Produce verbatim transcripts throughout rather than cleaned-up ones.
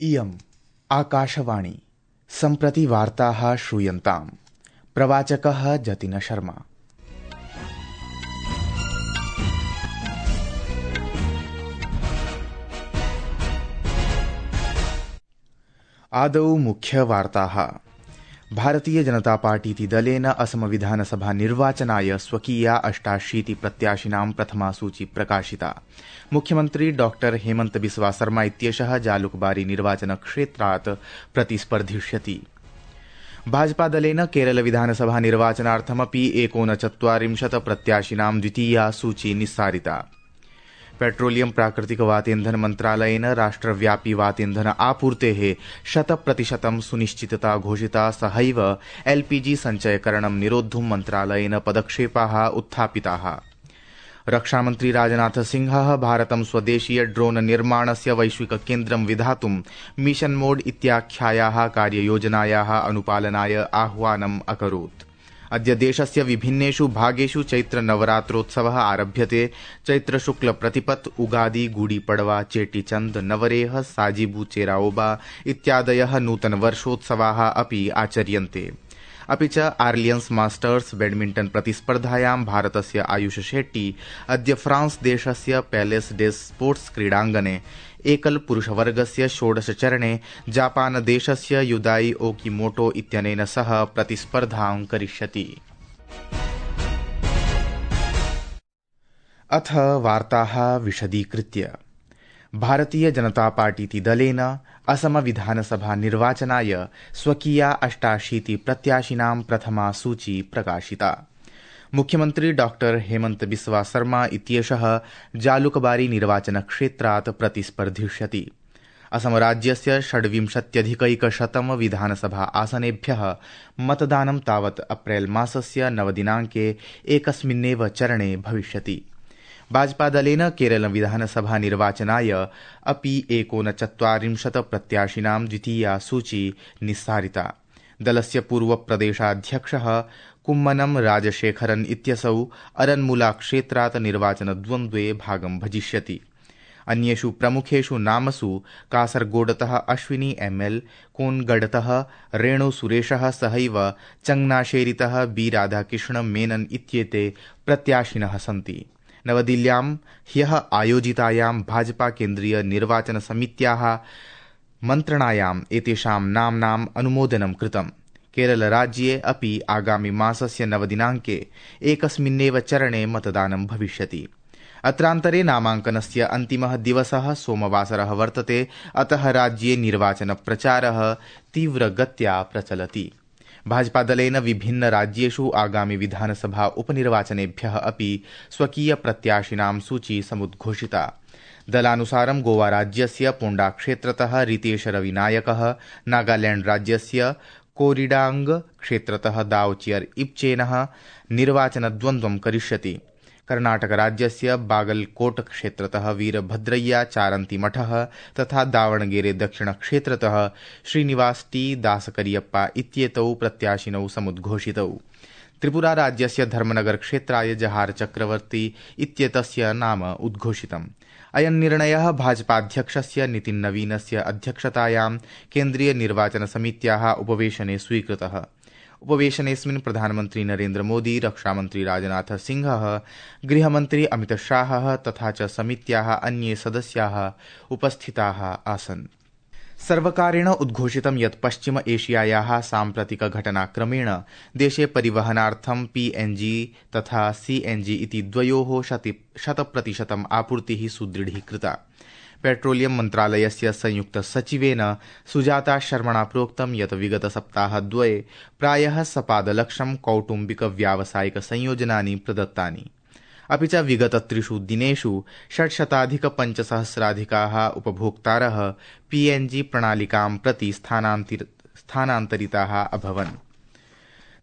इयम् आकाशवाणी सम्प्रति वार्ताः श्रूयन्ताम्। प्रवाचकः जतिन शर्मा। आदौ मुख्यवार्ताः। भारतीय जनता पार्टीति दलेन असम विधानसभा निर्वाचनाय स्वकीया अष्टाशीति प्रत्याशिनां प्रथमा सूची प्रकाशिता। मुख्यमन्त्री डॉक्टर हेमन्त बिस्वा शर्मा इत्येषः जालुकबारी निर्वाचनक्षेत्रात् प्रतिस्पर्धिष्यति। भाजपा दलेन केरल विधानसभा निर्वाचनार्थमपि एकोनचत्वारिंशत् प्रत्याशिनां द्वितीया सूची निस्सारिता। पेट्रोलियम प्राकृतिक वातेन्धन मन्त्रालयेन राष्ट्रव्यापी वातेन्धन आपूर्तेः शत प्रतिशतं सुनिश्चितता घोषिता। सहैव एलपीजी सञ्चयकरणं निरोद्धुं मन्त्रालयेन पदक्षेपाः उत्थापिताः। रक्षामन्त्री राजनाथ सिंहः भारतं स्वदेशीय ड्रोन निर्माणस्य वैश्विक केन्द्रं विधातुं मिशन मोड इत्याख्यायाः कार्ययोजनायाः अनुपालनाय आह्वानम् अकरोत्। अद्य देशस्य विभिन्नेषु भागेषु चैत्र नवरात्रोत्सवः आरभ्यते। चैत्र शुक्ल प्रतिपत्, उगादी, गुडी पड़वा, चेटीचंद, नवरेह, साजिबू चेराओबा इत्यादयः नूतन वर्षोत्सवाः अपि आचर्यन्ते। अपि च आर्लियन्स मास्टर्स बैडमिंटन प्रतिस्पर्धायां भारतस्य आयुष शेट्टी अद्य फ्रांस देशस्य पैलेस डे स्पोर्ट्स क्रीडाङ्गणे एकल पुरुषवर्गस्य षोडश चरणे जापान देशस्य युदाई ओकिमोटो इत्यनेन सह प्रतिस्पर्धां करिष्यति। अथ वार्ताः विशदीकृत्य। भारतीय जनता पार्टीति दलेन असम विधानसभा निर्वाचनाय स्वकीया अष्टाशीति प्रत्याशिनां प्रथमा सूची प्रकाशिता। मुख्यमन्त्री डॉक्टर हेमन्त बिस्वा शर्मा इत्येषः जालुकबारी निर्वाचनक्षेत्रात् प्रतिस्पर्धिष्यति। असम राज्यस्य षड्विंशत्यधिकैकशतं विधानसभा आसनेभ्यः मतदानं तावत् अप्रैल मासस्य नवदिनाङ्के एकस्मिन्नेव चरणे भविष्यति। भाजपा दलेन केरल विधानसभा निर्वाचनाय अपि एकोनचत्वारिंशत् प्रत्याशिनां द्वितीया सूची निस्सारिता। दलस्य पूर्व प्रदेशाध्यक्षः कुम्मनं राजशेखरन् इत्यसौ अरन्मुला क्षेत्रात् निर्वाचनद्वन्द्वे भागं भजिष्यति। अन्येषु प्रमुखेषु नामसु कासरगोडतः अश्विनी एमएल, कोनगढतः रेणु सुरेशः सहैव चंगनाशेरीतः बी राधाकृष्ण मेनन इत्येते प्रत्याशिनः सन्ति। नवदिल्ल्यां ह्यः आयोजितायां भाजपा केन्द्रीय निर्वाचन समित्याः मन्त्रणायाम् एतेषां नाम्नाम् अनुमोदनं कृतम्। केरल राज्ये अपि आगामि मासस्य नवदिनाङ्के एकस्मिन्नेव चरणे मतदानं भविष्यति। अत्रान्तरे नामाङ्कनस्य अन्तिमः दिवसः सोमवासरः वर्तते। अतः राज्ये निर्वाचन प्रचारः तीव्रगत्या प्रचलति। भाजपा दलेन विभिन्न राज्येषु आगामि विधानसभा उपनिर्वाचनेभ्यः अपि स्वकीय प्रत्याशिनां सूची समुद्घोषिता। दलानुसारं गोवा राज्यस्य पोण्डा क्षेत्रतः रितेश रविनायकः, नागालैंड राज्यस्य कोरिडांग क्षेत्रतः दावचियर इप्चेनः निर्वाचनद्वन्द्वं करिष्यति। कर्नाटक राज्यस्य बागलकोट क्षेत्रतः वीरभद्रय्या चारन्तिमठः तथा दावणगेरे दक्षिण क्षेत्रतः श्रीनिवास टी दासकरियप्पा इत्येतौ प्रत्याशिनौ समुद्घोषितौ। त्रिपुरा राज्यस्य धर्मनगर क्षेत्राय जहार चक्रवर्ती इत्येतस्य नाम उद्घोषितम्। अयं निर्णयः भाजपाध्यक्षस्य नितिन नवीनस्य अध्यक्षतायां केन्द्रीय निर्वाचन समित्याः उपवेशने स्वीकृतः। उपवेशनेऽस्मिन् प्रधानमन्त्री नरेन्द्र मोदी, रक्षामन्त्री राजनाथ सिंहः, गृहमन्त्री अमित शाहः तथा च समित्याः अन्ये सदस्याः उपस्थिताः आसन्। सर्वकारेण उद्घोषितं यत् पश्चिम एशियायाः साम्प्रतिक घटनाक्रमेण देशे परिवहनार्थं पीएनजी तथा सीएनजी इति द्वयोः शतप्रतिशतम् आपूर्तिः सुदृढीकृता। पेट्रोलियम मन्त्रालयस्य संयुक्त सचिवेन सुजाता शर्मणा प्रोक्तं यत् विगत सप्ताहद्वये प्रायः सपादलक्षं कौटुम्बिक व्यावसायिक संयोजनानि प्रदत्तानि। अपि च विगत त्रिषु दिनेषु षट्शताधिक पञ्चसहस्राधिकाः उपभोक्तारः पीएनजी प्रणालिकां प्रति स्थानान्तरिताः अभवन्।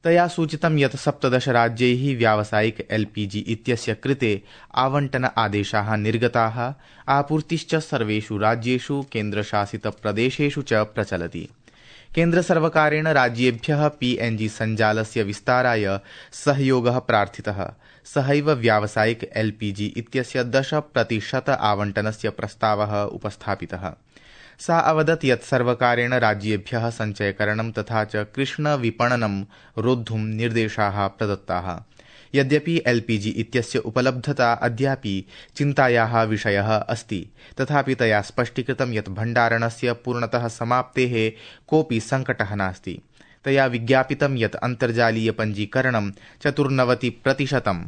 तया सूचितं यत् सप्तदश राज्यैः व्यावसायिक एलपीजी इत्यस्य कृते आवंटन आदेशाः निर्गताः। आपूर्तिश्च सर्वेषु राज्येषु केन्द्रशासित प्रदेशेषु च प्रचलति। केन्द्रसर्वकारेण राज्येभ्यः पीएनजी सञ्जालस्य विस्ताराय सहयोगः प्रार्थितः। सहैव व्यावसायिक एलपीजी इत्यस्य दश प्रतिशत आवंटनस्य प्रस्तावः उपस्थापितः। सा अवदत् यत् सर्वकारेण राज्येभ्यः सञ्चयकरणं तथा च कृष्णविपणनं रोद्धुं निर्देशाः प्रदत्ताः। यद्यपि एलपीजी इत्यस्य उपलब्धता अद्यापि चिन्तायाः विषयः अस्ति, तथापि तया स्पष्टीकृतं यत् भण्डारणस्य पूर्णतः समाप्तेः कोऽपि सङ्कटः नास्ति। तया विज्ञापितं यत् अन्तर्जालीयपञ्जीकरणं चतुर्नवति प्रतिशतं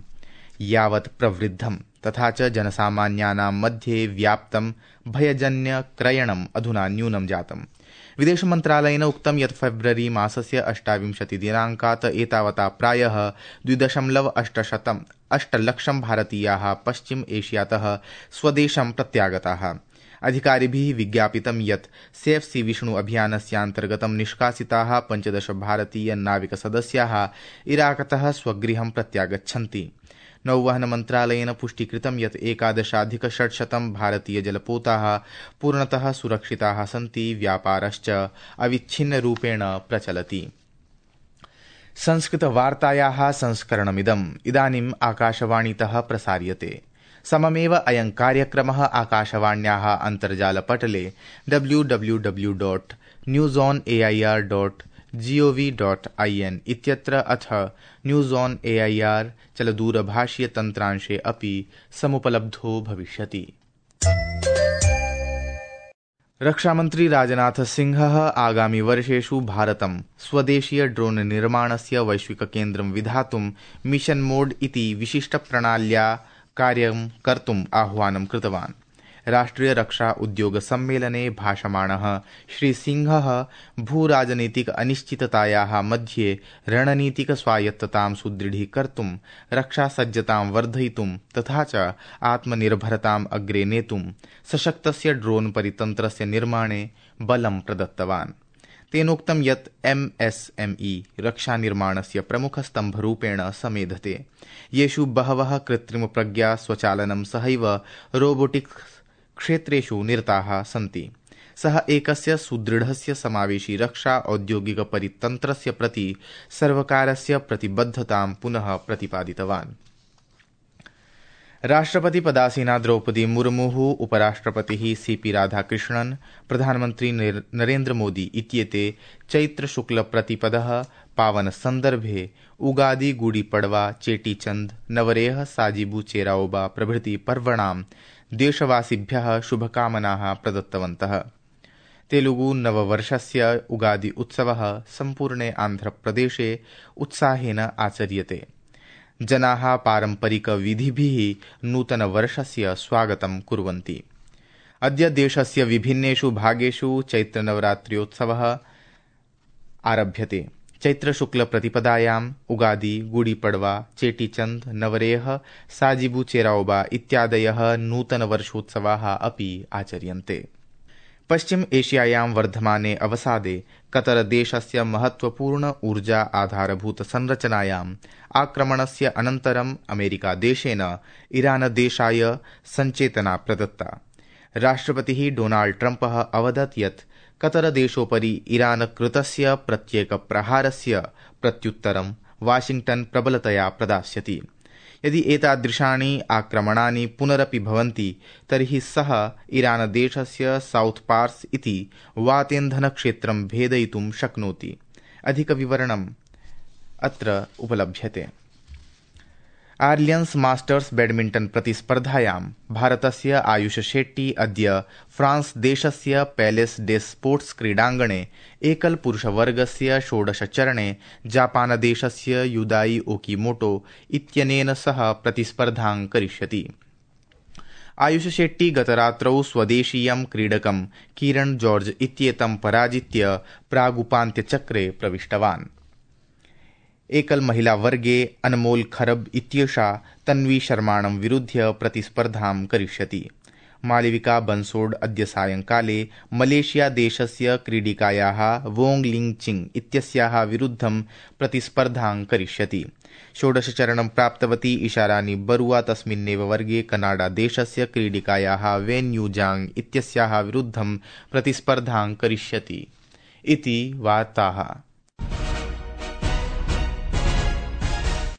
यावत् प्रवृद्धं, तथा च जनसामान्यानां मध्ये व्याप्तं भयजन्यक्रयणम् अधुना न्यूनं जातम्। विदेशमन्त्रालयेन उक्तं यत् फेब्रुवरी मासस्य अष्टाविंशतिदिनाङ्कात् एतावता प्रायः द्विदशमलव अष्टशतम् अष्टलक्षं भारतीयाः पश्चिम एशियातः स्वदेशं प्रत्यागताः। अधिकारिभिः विज्ञापितं यत् सेफ सी विष्णु अभियानस्यान्तर्गतं निष्कासिताः पञ्चदश भारतीय नाविकसदस्याः इराकतः स्वगृहं प्रत्यागच्छन्ति। नौवहन मन्त्रालयेन पुष्टीकृतं यत् एकादशाधिकषट्शतं भारतीयजलपोताः पूर्णतः सुरक्षिताः सन्ति, व्यापारश्च अविच्छिन्नरूपेण प्रचलति। संस्कृतवार्तायाः संस्करणमिदम् इदानीम् आकाशवाणीतः प्रसार्यते। सममेव अयं कार्यक्रमः आकाशवाण्याः अन्तर्जालपटले W W W dot news on A I R dot GOV dot I N इत्यत्र अथ news on A I R चलदूरभाषीयतन्त्रांशे अपि समुपलब्धो भविष्यति। रक्षामन्त्री राजनाथ सिंहः आगामि वर्षेषु भारतं स्वदेशीय ड्रोन निर्माणस्य वैश्विककेन्द्रं विधातुं मिशन मोड इति विशिष्टप्रणाल्या कार्यं कर्तुम् आह्वानं कृतवान्। राष्ट्रिय रक्षा उद्योग सम्मेलने भाषमाणः श्रीसिंहः भूराजनीतिक अनिश्चिततायाः मध्ये रणनीतिक स्वायत्ततां सुदृढीकर्तुं, रक्षासज्जतां वर्धयितुं तथा च आत्मनिर्भरताम् अग्रे नेतुं सशक्तस्य ड्रोन परितन्त्रस्य निर्माणे बलं प्रदत्तवान्। तेनोक्तं यत् एम एस एम ई रक्षानिर्माणस्य प्रमुखस्तम्भरूपेण समेधते, येषु बहवः कृत्रिमप्रज्ञा, स्वचालनं सहैव रोबोटिक्स् क्षेत्रेषु निरताः सन्ति। सः एकस्य सुदृढस्य समावेशी रक्षा औद्योगिकपरितन्त्रस्य प्रति सर्वकारस्य प्रतिबद्धतां पुनः प्रतिपादितवान्। राष्ट्रपति पदासीना द्रौपदी मुर्मुः, उपराष्ट्रपतिः सीपी राधाकृष्णन्, प्रधानमन्त्री नरेन्द्र मोदी इत्येते चैत्रशुक्लप्रतिपदः पावन सन्दर्भे उगादी, गुडी पड़वा, चेटीचंद, नवरेह, साजिबू चेराओबा प्रभृति पर्वणां देशवासिभ्यः शुभकामनाः प्रदत्तवन्तः। तेलुगु नववर्षस्य उगादी उत्सवः सम्पूर्णे आन्ध्रप्रदेशे उत्साहेन आचर्यते। जनाः पारम्परिकविधिभिः नूतनवर्षस्य स्वागतं कुर्वन्ति। अद्य देशस्य विभिन्नेषु भागेषु चैत्रनवरात्र्योत्सवः आरभ्यते। चैत्रशुक्लप्रतिपदायाम् उगादी, गुडीपड़वा, चेटीचंद, नवरेह, साजिबू चेराओबा इत्यादयः नूतनवर्षोत्सवाः अपि आचर्यन्ते। पश्चिम एशियायां वर्धमाने अवसादे कतरदेशस्य महत्वपूर्ण ऊर्जा आधारभूत संरचनायाम् आक्रमणस्य अनन्तरम् अमेरिकादेशेन ईरानदेशाय सञ्चेतना प्रदत्ता। राष्ट्रपतिः डोनाल्ड ट्रम्पः अवदत् यत् कतरदेशोपरि ईरानकृतस्य प्रत्येकप्रहारस्य प्रत्युत्तरं वाशिंग्टन् प्रबलतया प्रदास्यति। यदि एतादृशानि आक्रमणानि पुनरपि भवन्ति तर्हि सः ईरानदेशस्य साउथ पार्स् इति वातेन्धनक्षेत्रं भेदयितुं शक्नोति। अधिकविवरणम् अत्र उपलभ्यते। आर्लियन्स् मास्टर्स् बैडमिण्टन् प्रतिस्पर्धायां भारतस्य आयुष शेट्टी अद्य फ्रांस देशस्य पैलेस डे स्पोर्ट्स् क्रीडाङ्गणे एकल पुरुषवर्गस्य षोडशचरणे जापानदेशस्य युदाई ओकीमोटो इत्यनेन सह प्रतिस्पर्धां करिष्यति। आयुष शेट्टी गतरात्रौ स्वदेशीयं क्रीडकं कीरन् जॉर्ज इत्येतं पराजित्य प्रागुपान्त्यचक्रे प्रविष्टवान्। एकल महिला वर्गे अनमोल खरब इत्येषा तन्वी शर्माणं विरुध्य प्रतिस्पर्धां करिष्यति। मालविका बंसोड अद्य सायंकाले मलेशिया देशस्य क्रीडिकायाः वोंग लिंग चिंग इत्यस्याः विरुद्धं प्रतिस्पर्धां करिष्यति। षोडशचरणं प्राप्तवती इशारानी बरुआ तस्मिन्नेव वर्गे कनाडा देशस्य क्रीडिकायाः वेन यूजांग इत्यस्याः विरुद्धं प्रतिस्पर्धां करिष्यति इति वार्ताः।